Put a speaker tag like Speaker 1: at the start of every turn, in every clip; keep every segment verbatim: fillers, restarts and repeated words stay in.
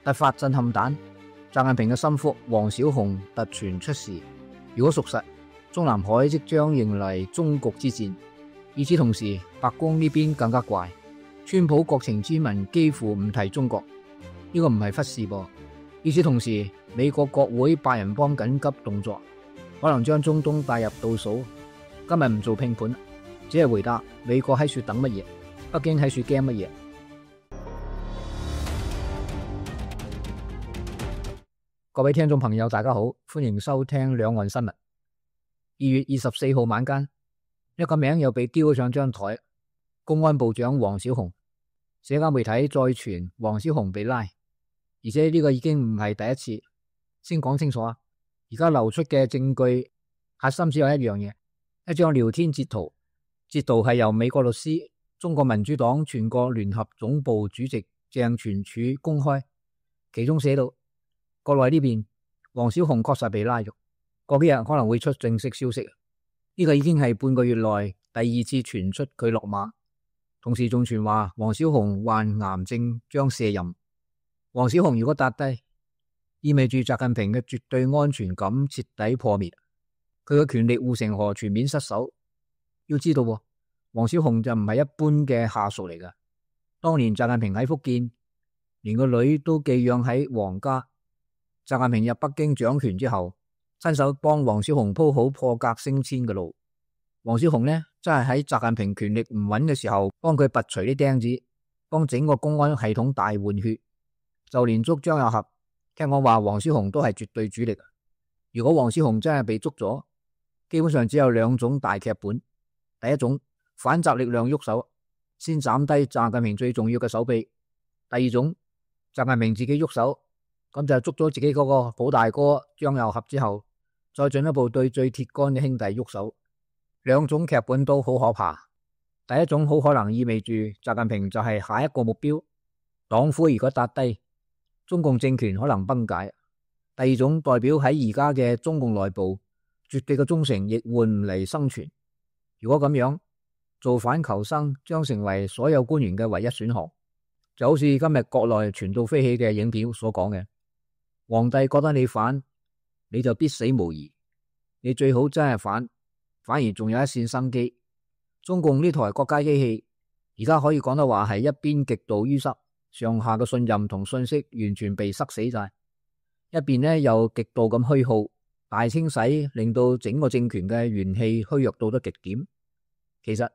Speaker 1: 突發震撼彈，習近平嘅心腹王小洪突傳出事。如果屬實，中南海即將迎嚟終局之戰。與此同時，白宮呢邊更加怪，川普國情咨文幾乎唔提中國，呢個唔係忽視噃。與此同時，美國國會八人幫緊急動作，可能將中東帶入倒數。今日唔做拼盤，只係回答美國喺處等乜嘢，北京喺處驚乜嘢。各位聽眾朋友，大家好，歡迎收聽兩岸新聞。二月二十四號晚間，一個名又被丟上張台，公安部長王小洪。社交媒體再傳王小洪被拉，而且呢個已經唔係第一次。先講清楚啊，而家流出嘅證據核心只有一樣嘢，一張聊天截圖，截圖係由美國律師、中國民主黨全國聯合總部主席鄭全柱公開，其中寫到國內呢邊王小洪確實被拉咗，過幾日可能會出正式消息。呢個已經係半個月內第二次傳出佢落馬，同時仲傳話王小洪患癌症將卸任。王小洪如果撻低，意味住習近平嘅絕對安全感徹底破滅，佢嘅權力護城河全面失守。要知道，王小洪就唔係一般嘅下屬嚟㗎。當年習近平喺福建，連個女都寄養喺皇家。習近平入北京掌權之後，親手幫王小洪鋪好破格升遷嘅路。王小洪呢，真係喺習近平權力唔穩嘅時候，幫佢拔除啲釘子，幫整個公安系統大換血。就連捉張又俠，聽我話王小洪都係絕對主力。如果王小洪真係被捉咗，基本上只有兩種大劇本。第一種，反習力量喐手，先斬低習近平最重要嘅手臂；第二種，習近平自己喐手。咁就捉咗自己嗰個寶大哥張又俠之後，再進一步對最鐵桿嘅兄弟喐手。兩種劇本都好可怕。第一種好可能意味住習近平就係下一個目標，黨魁如果撻低，中共政權可能崩解。第二種代表喺而家嘅中共內部，絕對嘅忠誠亦換唔嚟生存。如果咁樣，造反求生將成為所有官員嘅唯一選項。就好似今日國內傳到飛起嘅影片所講嘅，皇帝覺得你反，你就必死無疑。你最好真係反，反而仲有一線生機。中共呢台國家機器而家可以講得話係一邊極度淤塞，上下嘅信任同信息完全被塞死晒；一邊呢又極度咁虛耗，大清洗令到整個政權嘅元氣虛弱到得極點。其實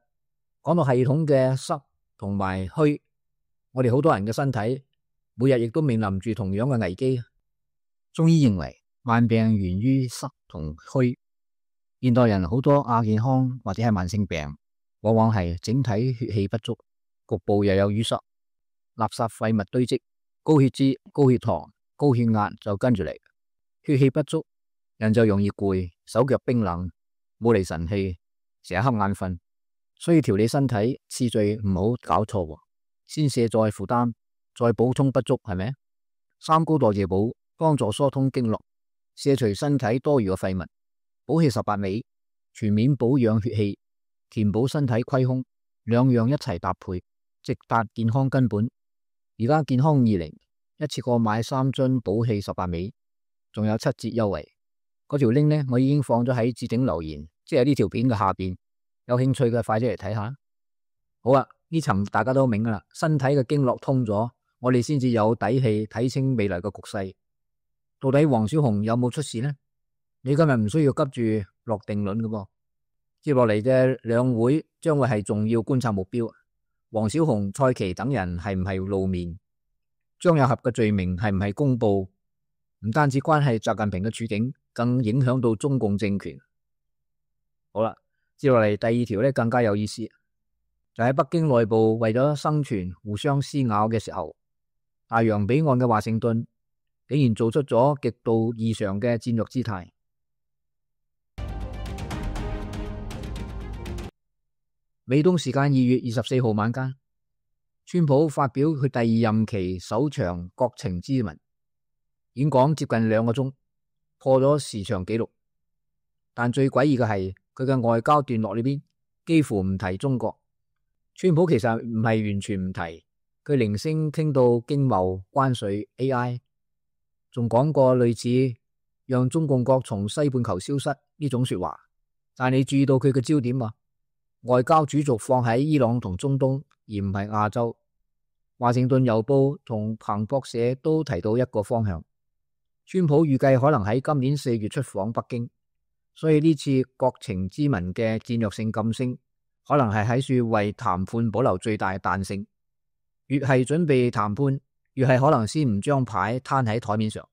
Speaker 1: 講到系統嘅塞同埋虛，我哋好多人嘅身體每日亦都面臨住同樣嘅危機。中醫認為慢病源於塞同虛，現代人好多亞健康或者係慢性病，往往係整體血氣不足，局部又有淤塞，垃圾廢物堆積，高血脂、高血糖、高血壓就跟住嚟。血氣不足，人就容易攰，手腳冰冷，冇嚟神氣，成日瞌眼瞓。所以調理身體次序唔好搞錯，先卸載負擔，再補充不足，係咪？三高代謝補幫助疏通經絡，卸除身體多餘嘅廢物，補氣十八味，全面保養血氣，填補身體虧空，兩樣一齊搭配，直達健康根本。而家健康二零一次過買三樽補氣十八味，仲有七折優惠。嗰條 link 呢，我已經放咗喺置頂留言，即係呢條片嘅下邊。有興趣嘅快啲嚟睇下。好啦，呢層大家都明噶啦，身體嘅經絡通咗，我哋先至有底氣睇清未來嘅局勢。到底王小洪有冇出事呢？你今日唔需要急住落定論嘅噃。接落嚟嘅兩會將會係重要觀察目標。王小洪、蔡奇等人係唔係露面？張又俠嘅罪名係唔係公布？唔單止關係習近平嘅處境，更影響到中共政權。好啦。接落嚟第二條咧更加有意思，就喺北京內部為咗生存互相撕咬嘅時候，大洋彼岸嘅華盛頓竟然做出咗極度異常嘅戰略姿態。美東時間二月二十四號晚間，川普發表佢第二任期首場國情咨文，演講接近兩個鐘，破咗時長紀錄。但最詭異嘅係，佢嘅外交段落裏邊幾乎唔提中國。川普其實唔係完全唔提，佢零星傾到經貿、關稅、A I， 仲講過類似讓中共國從西半球消失呢種說話。但你注意到佢嘅焦點啊，外交主軸放喺伊朗同中東，而唔係亞洲。華盛頓郵報同彭博社都提到一個方向，川普預計可能喺今年四月出訪北京，所以呢次國情咨文嘅戰略性噤聲，可能係喺處為談判保留最大彈性。越係準備談判，越係可能先唔將牌攤喺台面上。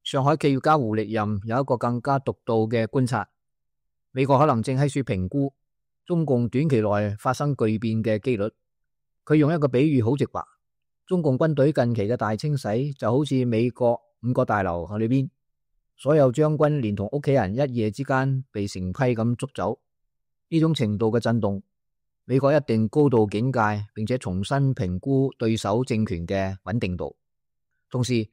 Speaker 1: 上海企業家胡力任有一個更加獨到嘅觀察，美國可能正喺處評估中共短期內發生巨變嘅機率。佢用一個比喻好直白，中共軍隊近期嘅大清洗就好似美國五角大樓裏邊，所有將軍連同屋企人一夜之間被成批咁捉走。呢種程度嘅震動，美國一定高度警戒，並且重新評估對手政權嘅穩定度。同時，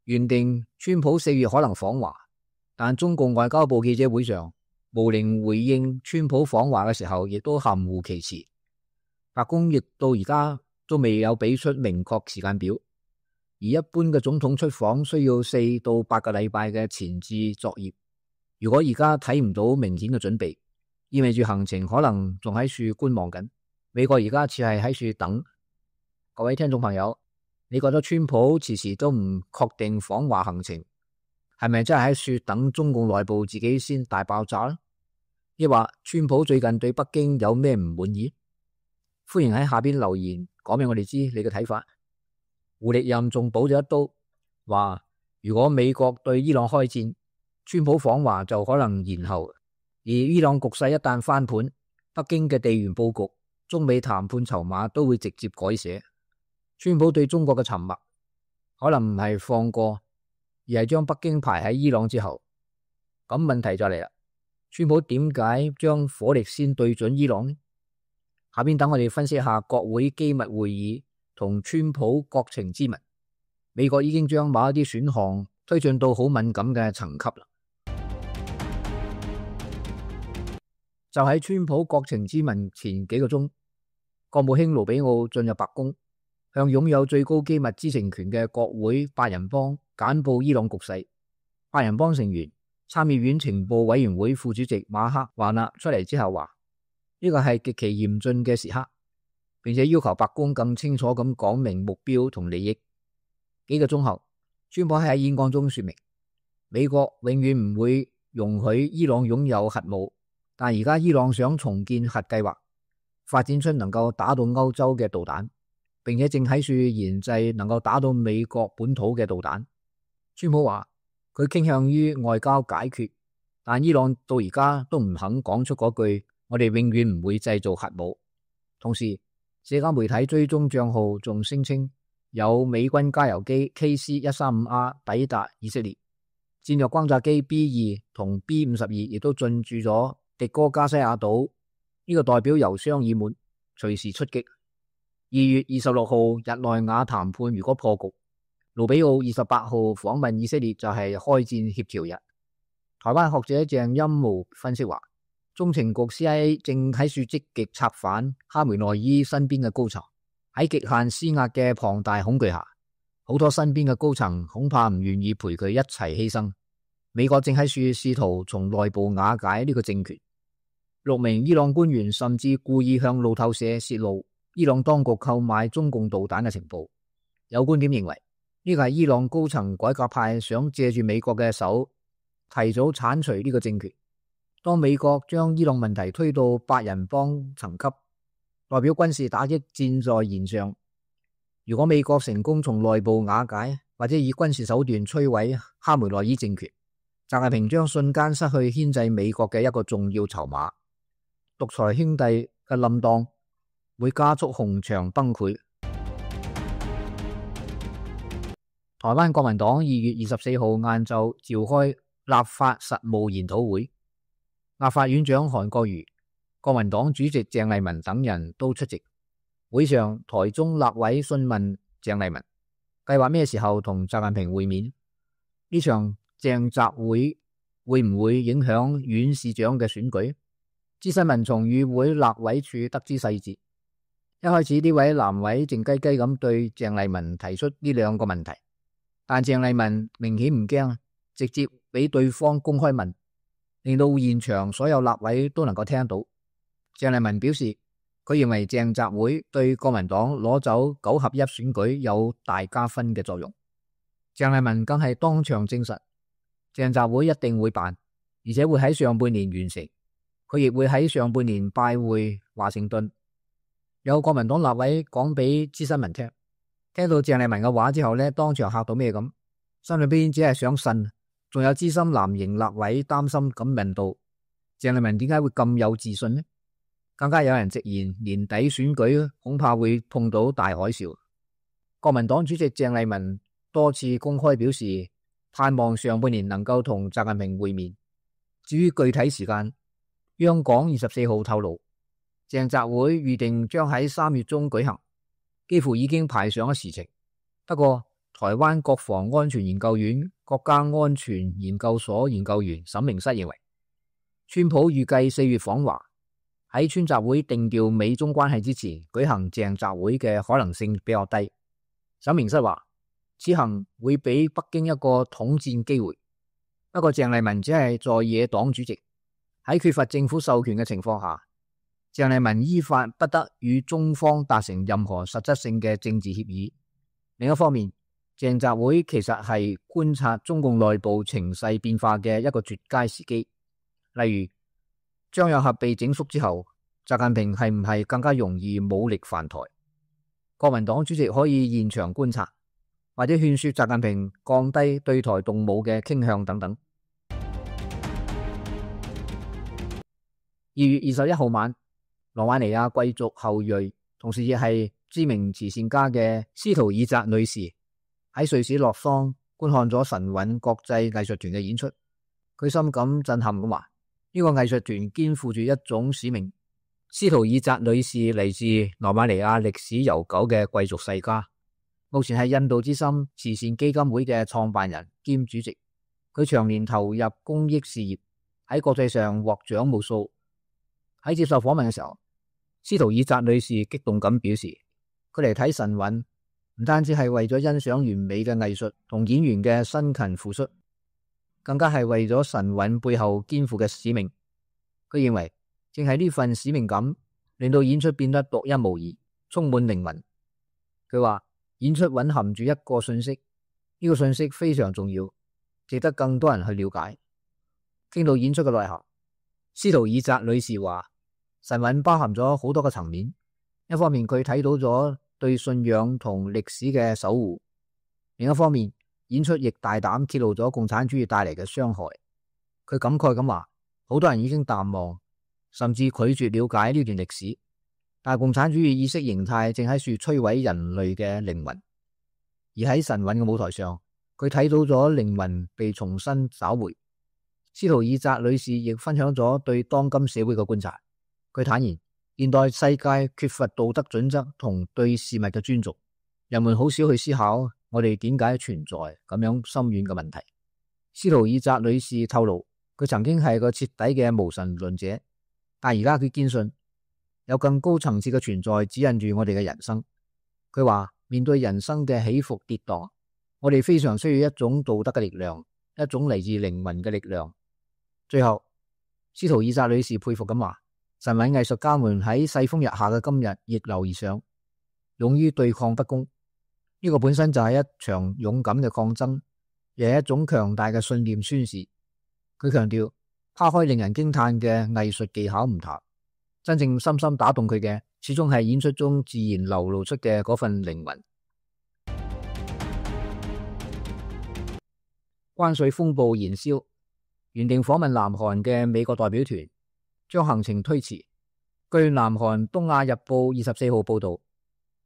Speaker 1: 原定川普四月可能訪華，但中共外交部記者會上，毛寧回應川普訪華嘅時候，亦都含糊其辭。白宮亦到而家都未有俾出明確時間表，而一般嘅總統出訪需要四到八個禮拜嘅前置作業。如果而家睇唔到明顯嘅準備，意味住行程可能仲喺處觀望緊。美國而家似係喺處等。各位聽眾朋友，你覺得川普遲遲都唔確定訪華行程，係咪真係喺處等中共內部自己先大爆炸呢？抑或川普最近對北京有咩唔滿意？歡迎喺下邊留言講俾我哋知你嘅睇法。胡力任仲補咗一刀，話如果美國對伊朗開戰，川普訪華就可能延後。而伊朗局勢一旦翻盤，北京嘅地緣佈局、中美談判籌碼都會直接改寫。川普對中國嘅沉默，可能唔係放過，而係將北京排喺伊朗之後。咁問題就嚟啦，川普點解將火力先對準伊朗呢？下邊等我哋分析一下國會機密會議同川普國情咨文。美國已經將某一啲選項推進到好敏感嘅層級啦。就喺川普國情咨文前幾個鐘，國務卿盧比奧進入白宮，向擁有最高機密知情權嘅國會八人幫簡報伊朗局勢。八人幫成員參議院情報委員會副主席馬克華納出嚟之後話，呢個係極其嚴峻嘅時刻，並且要求白宮更清楚咁講明目標同利益。幾個鐘後，川普喺演講中說明，美國永遠唔會容許伊朗擁有核武。但而家伊朗想重建核計劃，發展出能夠打到歐洲嘅導彈，並且正喺處研製能夠打到美國本土嘅導彈。川普話佢傾向於外交解決，但伊朗到而家都唔肯講出嗰句我哋永遠唔會製造核武。同時，社交媒體追蹤賬號仲聲稱有美軍加油機 K C 一三五 R 抵達以色列，戰略轟炸機 B 二同 B 五十二亦都進駐咗迪哥加西亞島，呢、這個代表油箱已滿，隨時出擊。二月二十六號日內瓦談判如果破局，盧比奧二十八號訪問以色列就係開戰協調日。台灣學者鄭欽模分析話，中情局 C I A 正喺處積極策反哈梅內伊身邊嘅高層，喺極限施壓嘅龐大恐懼下，好多身邊嘅高層恐怕唔願意陪佢一齊犧牲。美國正喺處試圖從內部瓦解呢個政權。六名伊朗官員甚至故意向路透社洩露伊朗當局購買中共導彈嘅情報。有觀點認為，呢個係伊朗高層改革派想借住美國嘅手提早鏟除呢個政權。當美國將伊朗問題推到八人幫層級，代表軍事打擊箭在弦上。如果美國成功從內部瓦解，或者以軍事手段摧毀哈梅內伊政權，習近平將瞬間失去牽制美國嘅一個重要籌碼。獨裁兄弟嘅冧檔會加速紅牆崩潰。台灣國民黨二月二十四號晏晝召開立法實務研討會，立法院長韓國瑜、國民黨主席鄭麗文等人都出席。會上，台中立委詢問鄭麗文計劃咩時候同習近平會面？呢場鄭習會會唔會影響縣市長嘅選舉？資深民從與會立委處得知細節，一開始呢位男委靜雞雞咁對鄭麗文提出呢兩個問題，但鄭麗文明顯唔驚，直接俾對方公開問，令到現場所有立委都能夠聽到。鄭麗文表示，佢認為鄭澤會對國民黨攞走九合一選舉有大加分嘅作用。鄭麗文更係當場證實，鄭澤會一定會辦，而且會喺上半年完成。佢亦會喺上半年拜會華盛頓。有國民黨立委講俾資新聞聽，聽到鄭麗文嘅話之後呢，當場嚇到咩咁，心裏邊只係想呻。仲有資深藍營立委擔心咁問道：鄭麗文點解會咁有自信呢？更加有人直言年底選舉恐怕會碰到大海嘯。國民黨主席鄭麗文多次公開表示，盼望上半年能夠同習近平會面。至於具體時間，央廣二十四號透露，鄭澤會預定將喺三月中舉行，幾乎已經排上咗時程。不過，台灣國防安全研究院國家安全研究所研究員沈明室認為，川普預計四月訪華，喺川習會定調美中關係之前舉行鄭澤會嘅可能性比較低。沈明室話，此行會俾北京一個統戰機會。不過鄭麗文只係在野黨主席，喺缺乏政府授權嘅情況下，鄭麗文依法不得與中方達成任何實質性嘅政治協議。另一方面，鄭澤會其實係觀察中共內部情勢變化嘅一個絕佳時機。例如，張又俠被整肅之後，習近平係唔係更加容易武力犯台？國民黨主席可以現場觀察，或者勸說習近平降低對台動武嘅傾向等等。二月二十一號晚，羅馬尼亞貴族後裔，同時亦係知名慈善家嘅斯圖爾扎女士喺瑞士洛桑觀看咗神韻國際藝術團嘅演出，佢深感震撼咁話：呢個藝術團肩負住一種使命。斯圖爾扎女士嚟自羅馬尼亞歷史悠久嘅貴族世家，目前係印度之心慈善基金會嘅創辦人兼主席。佢長年投入公益事業，喺國際上獲獎無數。喺接受訪問嘅時候，斯圖爾扎女士激動咁表示，佢嚟睇神韻唔單止係為咗欣賞完美嘅藝術同演員嘅辛勤付出，更加係為咗神韻背後肩負嘅使命。佢認為正係呢份使命感令到演出變得獨一無二，充滿靈魂。佢話演出蘊含住一個信息，呢個信息非常重要，值得更多人去了解。傾到演出嘅內涵，斯圖爾扎女士話神韻包含咗好多個層面。一方面佢睇到咗對信仰同歷史嘅守護，另一方面演出亦大膽揭露咗共產主義帶嚟嘅傷害。佢感慨咁話，好多人已經淡忘，甚至拒絕了解呢段歷史，但係共產主義意識形態正喺處摧毀人類嘅靈魂。而喺神韻嘅舞台上，佢睇到咗靈魂被重新找回。斯圖爾扎女士亦分享咗對當今社會嘅觀察。佢坦言，現代世界缺乏道德準則同對事物嘅尊重，人們好少去思考我哋點解存在咁樣深遠嘅問題。斯圖爾扎女士透露，佢曾經係個徹底嘅無神論者，但而家佢堅信有更高層次嘅存在指引住我哋嘅人生。佢話面對人生嘅起伏跌宕，我哋非常需要一種道德嘅力量，一種嚟自靈魂嘅力量。最後，斯圖爾扎女士佩服咁話，神韻藝術家們喺世風日下嘅今日逆流而上，勇於對抗不公。呢個本身就係一場勇敢嘅抗爭，亦係一種強大嘅信念宣示。佢強調，拋開令人驚嘆嘅藝術技巧唔談，真正深深打動佢嘅，始終係演出中自然流露出嘅嗰份靈魂。關稅風暴燃燒，原定訪問南韓嘅美國代表團將行程推遲。據南韓東亞日報二十四號報道，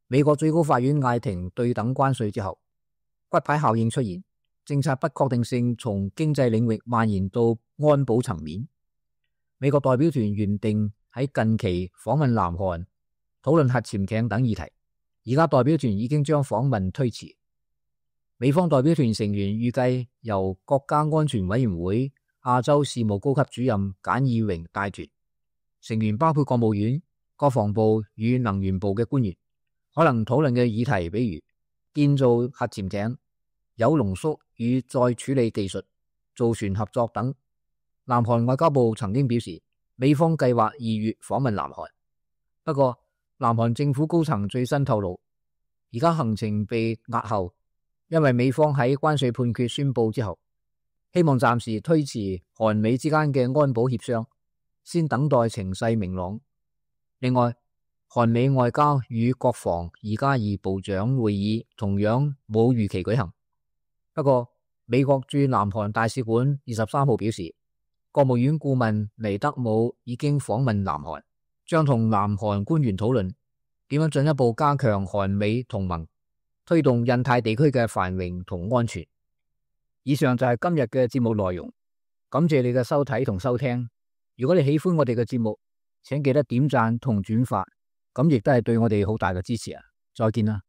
Speaker 1: 美國最高法院嗌停對等關稅之後，骨牌效應出現，政策不確定性從經濟領域蔓延到安保層面。美國代表團原定喺近期訪問南韓，討論核潛艇等議題，而家代表團已經將訪問推遲。美方代表團成員預計由國家安全委員會亞洲事務高級主任簡義榮帶團，成員包括國務院、國防部與能源部嘅官員可能討論嘅議題，比如建造核潛艇、鈾濃縮與再處理技術、造船合作等。南韓外交部曾經表示，美方計劃二月訪問南韓。不過，南韓政府高層最新透露，而家行程被押後，因為美方喺關稅判決宣布之後，希望暫時推遲韓美之間嘅安保協商，先等待情勢明朗。另外，韓美外交與國防二加二部長會議同樣冇預期舉行。不過，美國駐南韓大使館二十三號表示，國務院顧問尼德姆已經訪問南韓，將同南韓官員討論點樣進一步加強韓美同盟，推動印太地區嘅繁榮同安全。以上就係今日嘅節目內容，感謝你嘅收睇同收聽。如果你喜歡我哋嘅節目，請記得點讚同轉發，咁亦都係對我哋好大嘅支持啊！再見啦。